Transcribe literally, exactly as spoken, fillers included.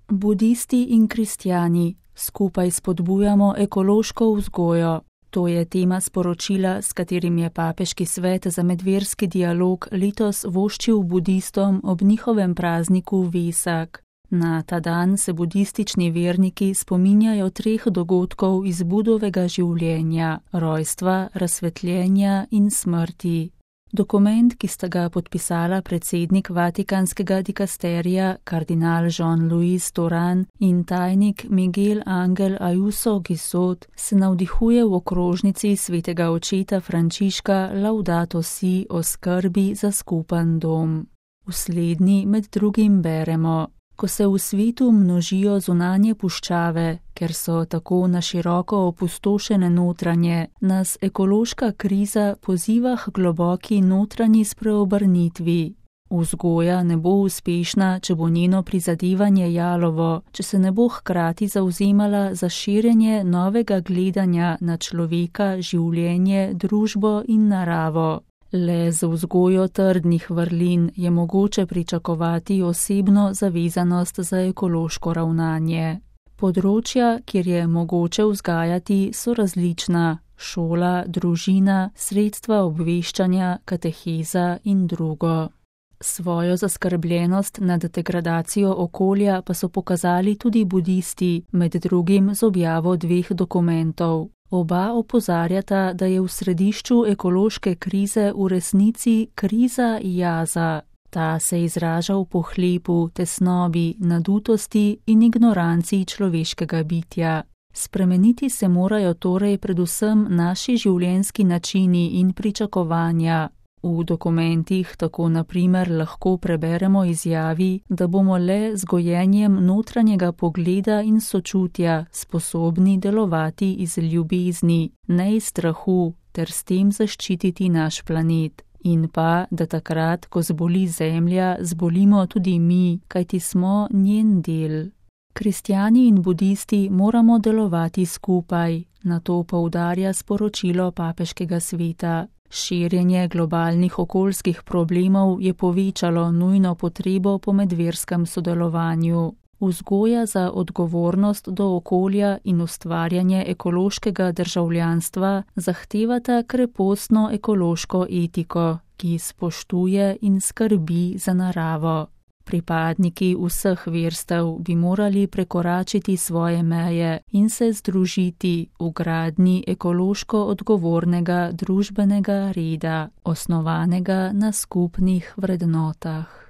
Budisti in kristjani skupaj spodbujamo ekološko vzgojo. To je tema sporočila, s katerim je Papeški svet za medverski dialog letos voščil budistom ob njihovem prazniku Vesak. Na ta dan se budistični verniki spominjajo treh dogodkov iz Budovega življenja, rojstva, razsvetljenja in smrti. Dokument, ki sta ga podpisala predsednik Vatikanskega dikasterija kardinal Jean-Louis Toran in tajnik Miguel Angel Ayuso Gisot, se navdihuje v okrožnici svetega očeta Frančiška Laudato si o skrbi za skupen dom. V slednji med drugim beremo: Ko se v svetu množijo zunanje puščave, ker so tako na široko opustošene notranje, nas ekološka kriza poziva k globoki notranji spreobrnitvi. Vzgoja ne bo uspešna, če bo njeno prizadevanje jalovo, če se ne bo hkrati zavzemala za širjenje novega gledanja na človeka, življenje, družbo in naravo. Le z vzgojo trdnih vrlin je mogoče pričakovati osebno zavezanost za ekološko ravnanje. Področja, kjer je mogoče vzgajati, so različna: šola, družina, sredstva obveščanja, kateheza in drugo. Svojo zaskrbljenost nad degradacijo okolja pa so pokazali tudi budisti, med drugim z objavo dveh dokumentov. Oba opozarjata, da je v središču ekološke krize v resnici kriza jaza. Ta se izraža v pohlepu, tesnobi, nadutosti in ignoranci človeškega bitja. Spremeniti se morajo torej predvsem naši življenjski načini in pričakovanja. V dokumentih tako na primer lahko preberemo izjavi, da bomo le z gojenjem notranjega pogleda in sočutja sposobni delovati iz ljubezni, ne iz strahu, ter s tem zaščititi naš planet. In pa, da takrat, ko zboli zemlja, zbolimo tudi mi, kajti smo njen del. Kristjani in budisti moramo delovati skupaj, na to poudarja sporočilo Papeškega sveta. Širjenje globalnih okoljskih problemov je povečalo nujno potrebo po medverskem sodelovanju. Vzgoja za odgovornost do okolja in ustvarjanje ekološkega državljanstva zahtevata krepostno ekološko etiko, ki spoštuje in skrbi za naravo. Pripadniki vseh verstev bi morali prekoračiti svoje meje in se združiti v gradnji ekološko odgovornega družbenega reda, osnovanega na skupnih vrednotah.